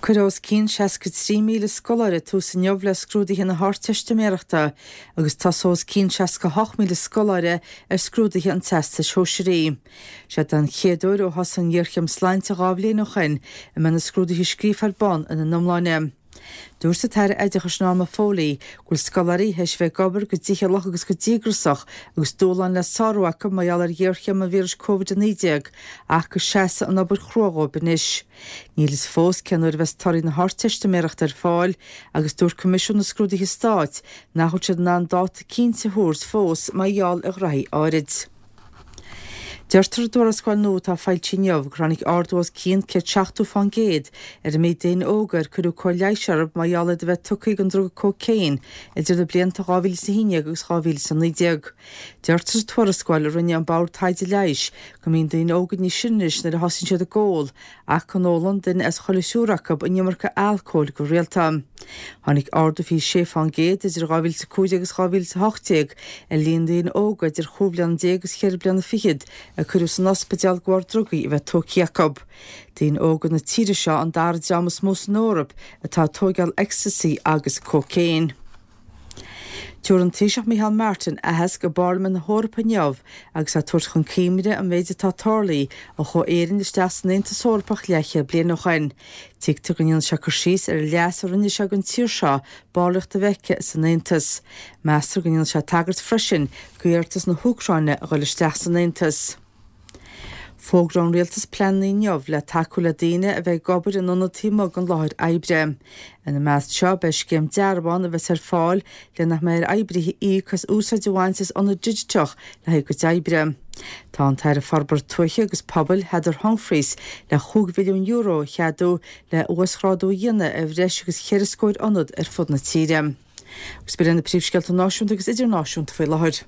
Cuirfidh os cionn 63,000 scoláire tús inniu le scrúduithe na hArdteistiméireachta agus tosóidh os cionn 68,000 scoláire ar scrúduithe an Teastais Shóisearaigh. Sé den chéad uair ó thosaigh an ghéarchéim sláinte 2 bhliain ó shin a mbeidh na scrúduithe scríofa ar bun ina n-iomláine. Dúirt an tAire Oideachais Norma Foley go bhfuil scoláirí théis a bheith ag obair go dícheallach agus go díograsach agus dúshláin le sárú acu mar gheall ar ghéarchéim an víris Covid-19 ach go seasfaidh an obair chrua dhóibh anois. Níl fhios fós cén uair a bheas torthaí na hArdteistiméireachta ar fáil agus dúirt Coimisiún na Scrúduithe Stáit nach bhfuil siad in ann dáta cinnte a thabhairt fós mar gheall ar ghraithí áirid. Deirtear i dtuarascáil nua atá foilsithe inniu gur tháinig ardú os cionn 170% ar an méid daoine óga ar cuireadh cóir leighis orthu mar gheall iad a bheith tugtha don druga cócaon idir na blianta 2011 agus 2019. Deirtear sa tuarascáil a rinne an Bord Taighde Leighis go mbíonn daoine óga níos sine anois nuair a thosaíonn siad ag ól ach go n-ólann duine as chuile thriúr acu an iomarca alcóil go rialta. Tháinig ardú 26% idir 2005 agus 2018 ar líon daoine óga idir chúig bhliana déag agus cheithre bliana fichead a cuireadh san ospidéal de bharr drugaí a bheith tógtha acu. Daoine óga na tíre seo an dara dream is mó san Eoraip atá ag tóigeáil ecstasy agus cócaon. Tabharfaidh an Taoiseach Micheál Martin aitheasc i bParlaimint na hEorpa inniu agus é ag tabhairt chun cuimhne an méid atá tarlaithe ó chuaigh Éirinn isteach san Aontas Eorpach leathchéad bliain ó shin. Tuigtear go ndéanfaidh sé cur síos ar an leas a rinne sé don tír seo ballraíocht a bheith aici san Aontas. Meastar go ndéanfaidh sé tagairt freisin d'iarratas na hÚcráine a dhul isteach san Aontas. Fógróidh an Rialtas pleananna inniu le tacú le daoine a bheidh ag obair in ionad taobh amuigh den láthair oibre. Ina measc seo beidh scéim dearbhán a bheas ar fáil le nach mbeidh ar oibrithe íoc as úsáid a bhaint as ionad digiteach le haghaidh a gcuid oibre. Tá an tAire Forbartha Tuaithe agus Pobail, Heather Humphreys, le €5 mhilliún a cheadú le uasghrádú a dhéanamh ar bhreis agus cheithre scóir ionad ar fud na tíre. Agus b'in iad na príomhscéalta náisiúnta agus idirnáisiúnta faoi láthair.